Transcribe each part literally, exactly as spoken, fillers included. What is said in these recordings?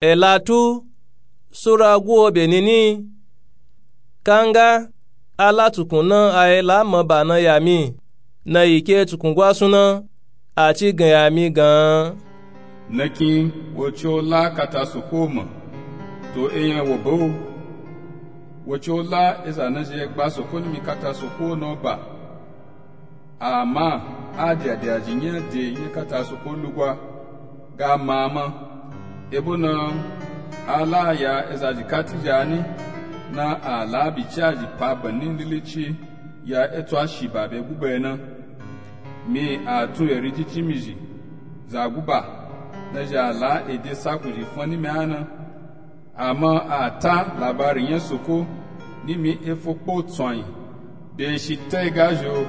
Elatu sura guwo be nini. Kanga ala tukun na a ela maba na ya mi na yi ke tukun gwasun na, a ci gan ya mi gan. Nakin wo ci o la kata soko ma to eyan wo ba o. Wo ci o la eza na zhi egba soko nimi kata soko na o ba. Ama a dya dya zhi nya de nya kata soko lugwa ga mama. Ebo na a la ya eza zhi kati zhi ani na a la bi ci a zhi pa bani lili ci ya eto a shi ba be guba na. Mi a tun eri ci ci mi zhi za guba na zhi a la ede sakun zhi fun nimi a na. Ama a ta labari nya soko nimi efo kpo tsoanyi be shi ta ega zhi o.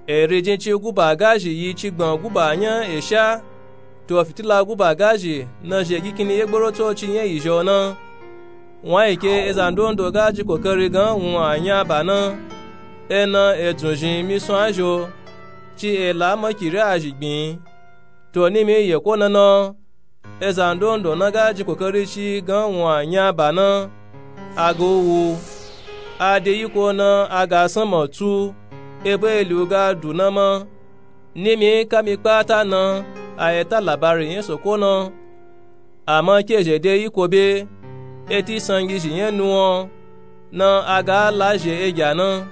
Eri jin ci guba ga zhi yi ci gban guba nya esha to fitila guba ga zhi na zhi egi kini ye gboro tsoci nya yi zhi o na. Wan yi ke eza ndondo ga ji kokari gan wun a nya ba na. Ena edzun zhin mi sun a zhi o ci ela makiri a zhi gbin. To nimi yeko na na eza ndondo na ga ji kokari ci gan wun a nya ba na. A ga u wu a de yiko na a ga sanma tu ebo eli u ga du na ma. Nimi kami kpata na a ye ta labari nya soko na. Ama ke zhi de yiko be eti sangi zhi nya nuwan na a ga la zhi egya na.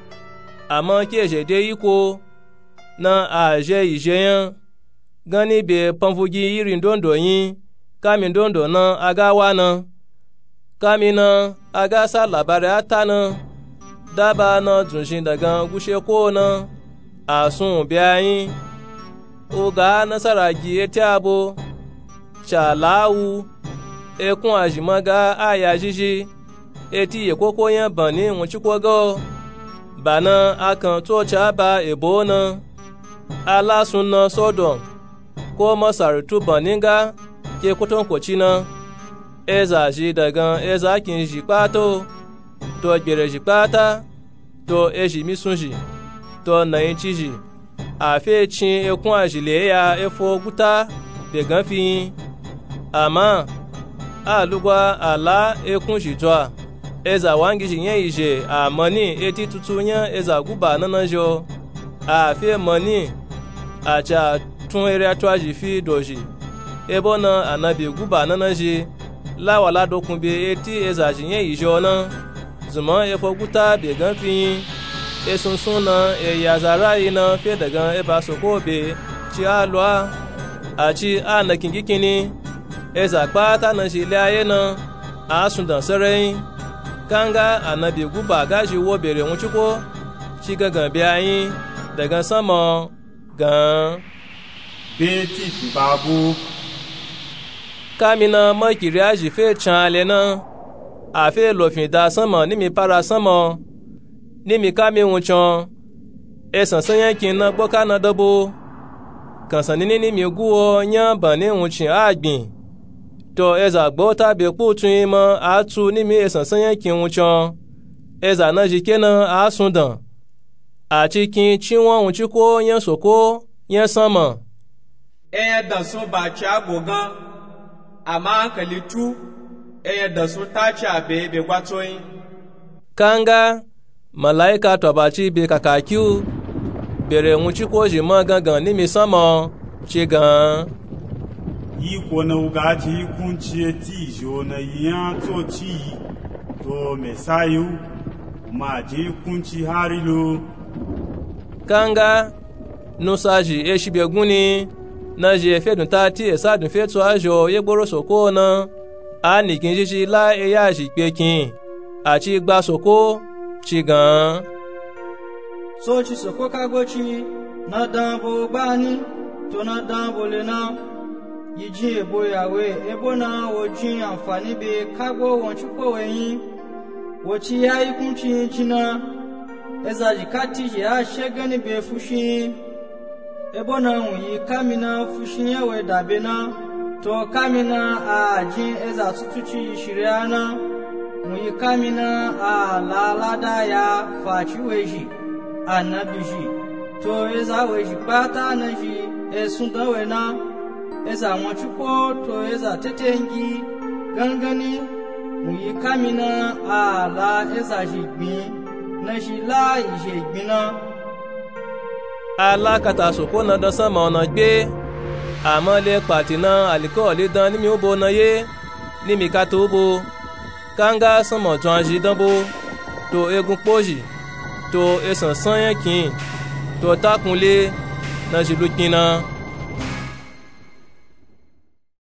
Ama ke zhi de yiko na a zhi yi zhi nya gani be panvugi iri ndondo yin kami ndondo na a ga wa na. Kami na a ga sa labari a ta na daba na dzun zhin dagan gushe ko na a sun u be a yin. U ga nasara gi eti abo ca la wu. Ekun a zhi ma ga a ya zhizhi eti yeko ko nya bani wun ci ko ga o. Ba na a kan tsoci a ba ebo na a la sun na sodom ko masari tu bani ga ke kotonkoci na. Eza zhi dagan eza kin zhi kpata o to gbere zhi kpata to ezhi mi sun zhi to nayin ci zhi. A fe cin ekun a zhi le ya efo guta be gan fi yin. Ama a lugwa a la ekun zhi dzwa eza wangi zhi nya yi zhi a mani eti tutu nya eza guba na na zhi o. A fe mani a ca tun eri a twa zhi fi dozhi. Ebo na anabi guba na na zhi la wa la dokun be eti eza zhi nya yi zhi o na. Zunman efo guta be gan fi yin. Esunsun na e ya za rayi na fe dagan eba soko be ci a lwa. A ci a nakin gi kini eza kpata na zhi le a ye na a sun dan sarayin. Kanga anabi guba ga zhi wo bere wun ci ko ci gangan be a yin dagan sanma o gan. Be ti fin ba bo. Kami na makiri a zhi fe can a le na a fe lo fin da sanma nimi para sanma o. Nimi kami wun can esansan nya kin na gboka na dabo. Kansan nini nimi guwo nya bani wun cin a gbin. To eza gbota be kpu tun yin ma a tu nimi esansan nya kin wun can eza na zhi ke na a sun dan. A ci kin ci wan wun ci ko nya soko nya sanma. Eyan dansun ba ci a go gan. Ama ankali tu eyan dansun ta ci a be be gwa tso yin. Kanga malaika to ba ci be kaka ki u bere wun ci ko zhi ma gangan nimi sanma o ci gan. Yiko na u ga ji kunci eti zhi o na yi nya tsoci yi to mesayi u ma ji kunci hari lo. Kanga nusa zhi eshi be gun ni na zhi efe dun ta ti esa dun fe tso a zhi o ye gboro soko na. A nikin zhizhi la eya zhi kpe kin a ci gba soko ci gan. Tsoci soko kagbo ci na dan bo gbani to na dan bo le na. Yi jin ebo yawe ebo na wo jin anfani be kagbo won ci ko we yin. Wo ci ya yi kunci yin jin na eza zhi kati zhi a she gani be fushi yin. Ebo na wun yi kami na fushi nya we da be na to kami na a jin eza tutuci yi shiri a na. Wun yi kami na a la lada ya faci we zhi anabi zhi to eza we zhi kpata na zhi esun dan we na. Eza won cuko to eza tetengi gangani wun yi kamina a la eza zhi gbin nazhi la yi zhe gbin na. A la kata soko na dan sanma ona gbe. Ama le kpati na alikawali dan nimi ubo na ye nimi kata ubo. Kanga sanma dzwan zhi dan bo, to egun kpo zhi, to esansan yan kin, to takun le nazhi lu kpin na.